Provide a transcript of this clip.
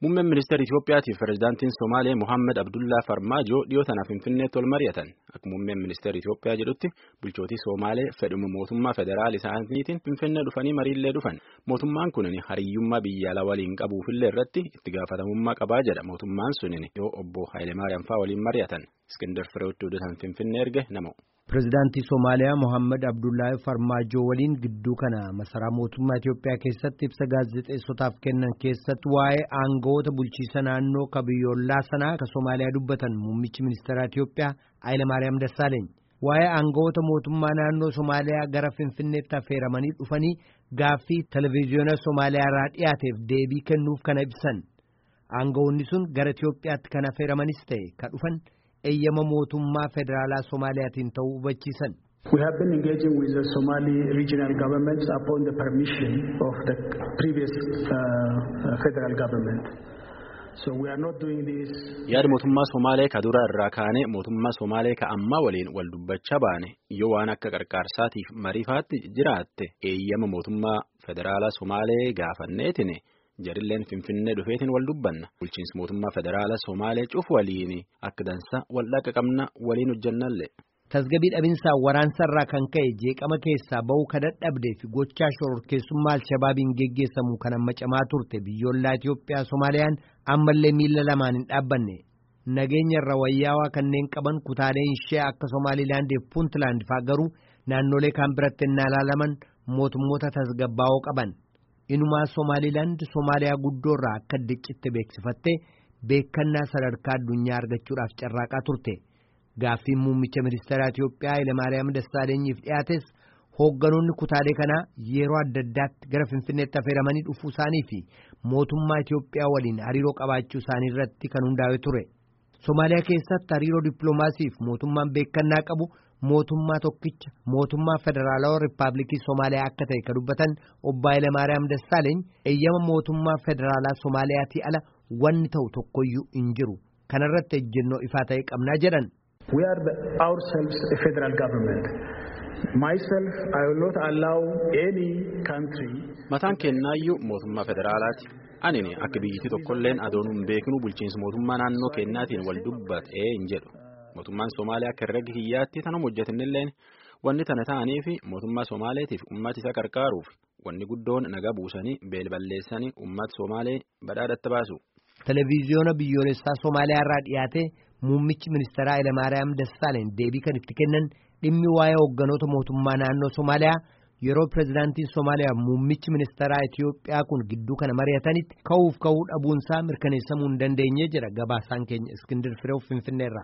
Muummeen ministeera Itoophiyaatiif pirezidaantiin Somaalee Mohaammed Abdullaa Farmaajoo dhiyoo tanaaf Finfinneetti wal mari'atan. Akka muummeen ministeera Itoophiyaa jedhutti bulchootii Somaalee fedhuma mootummaa federaal isaaniitiin Finfinnee dhufanii mariillee dhufan. Mootummaan kunin hariyyummaa biyya alaa waliin qabuufillee irratti itti gaafatamummaa qabaa jedha. Mootummaan sunin yoo obbo Hayilemaariyaam fa'aa waliin mari'atan. Iskindar Fireewoot Odotan Finfinnee erge nama. Pireezidaantii Somaaliyaa Mohaammed Abdullaahi Farmaajoo waliin gidduu kana masaraa mootummaa Itoophiyaa keessatti ibsa gaazexeessotaaf kennan keessatti waa'ee aangawoota bulchiisa naannoo ka biyyoolaa sanaa ka Somaaliyaa dubbatan muummichi ministeeraa Itoophiyaa Hayilemaariyaam Dassaaleeny. Waa'ee aangawoota mootummaa naannoo Somaaliyaa gara Finfinneetti affeeramanii dhufanii gaaffii televezyiyoona Somaaliyaa irraa dhiyaateef deebii kennuuf kana ibsan. Aangawoonni sun gara Itoophiyaatti kan affeeramanis ta'e ka dhufan. Eeyyama mootummaa federaalaa Soomaaliyaatiin ta'uu hubachiisan. We have been engaging with the Somali regional governments upon the permission of the previous federal government. So we are not doing this. Yaada mootummaa Somaalee ka dura irraa kaanee mootummaa Somaalee ka ammaa waliin wal dubbachaa baane yoo waan akka qarqaarsaatiif mariifaatti jiraatte eeyyama mootummaa federaalaa Somaalee gaafanneetiin. Jarilleen Finfinnee dhufeetiin wal dubbanna. Bulchiinsi mootummaa federaalaa Somaalee cufu waliin akka dansa wal dhaqa qabna waliin hojjannallee. Tasgabbii dhabinsaa waraansarraa kan ka'e jeeqama keessaa ba'uu ka dadhabdee fi gochaa shororkeessummaa Alshabaabiin geggeessamu kan amma camaa turte biyyoolaa Itoophiyaa Somaaliyaan ammallee miila lamaan hin dhaabbanne. Nageenya irra wayyaawaa kanneen qaban kutaaleen ishee akka Somaalilaandii fi Puuntlaand fa'aa garuu naannolee kaan biratti innaa ilaalaman mootummoota tasgabbaa'oo qaban. Inumaa Somaalilaand Somaaliyaa guddoo irraa akka diccitti beeksifattee beekannaa sadarkaa addunyaa argachuudhaaf carraaqaa turte. Gaaffiin muummicha ministeeraa Itoophiyaa Hayilemaariyaam Dassaalenyiif dhiyaates hoogganoonni kutaalee kanaa yeroo adda addaatti gara Finfinneetti affeeramanii dhufuu isaanii fi mootummaa Itoophiyaa waliin hariiroo qabaachuu isaanii irratti kan hundaa'e ture. Somaaliyaa keessatti hariiroo dippiloomaasiif mootummaan beekannaa qabu. Mootummaa tokkicha mootummaa federaalawaa riippaabilikii Somaaliyaa akka ta'e kan dubbatan obbo Hayilemaariyaam Dassaaleeny eeyyama mootummaa federaalaa Somaaliyaatii ala wanni ta'u tokkoyyuu hin jiru. Kanarratti ejjennoo ifaa ta'e qabnaa jedhan. We are ourselves a federal government. Myself, I will not allow any country. Mataan kennaayyuu mootummaa federaalaati. Anini akka biyyittii tokkolleen adoon hin beeknu bulchiinsa mootummaa naannoo kennaatiin wal dubbatee hin jedhu. Mootummaan Somaaliyaa akka herrega kiyyaatti tanuma hojjetanilleen wanni tana ta'anii fi mootummaa Somaaleetiif uummata isa qarqaaruuf wanni guddoon nagaa buusanii beelballeessanii uummata Somaalee badhaadhatti baasu. Televiziyoona biyyoolessaa Somaaliyaa irraa dhiyaate muummichi ministeeraa Hayilemaariyaam Dassaaleeny deebii kan itti kennan dhimmi waa'ee hoogganoota mootummaa naannoo Somaaliyaa yeroo pirezidaantiin Somaaliyaa muummichi ministeeraa Itoophiyaa kun gidduu kana mari'atanitti ka'uuf ka'uu dhabuunsaa mirkaneessamuu hin dandeenye jedha gabaasaan keenya Iskindir Fireew Finfinneerraa.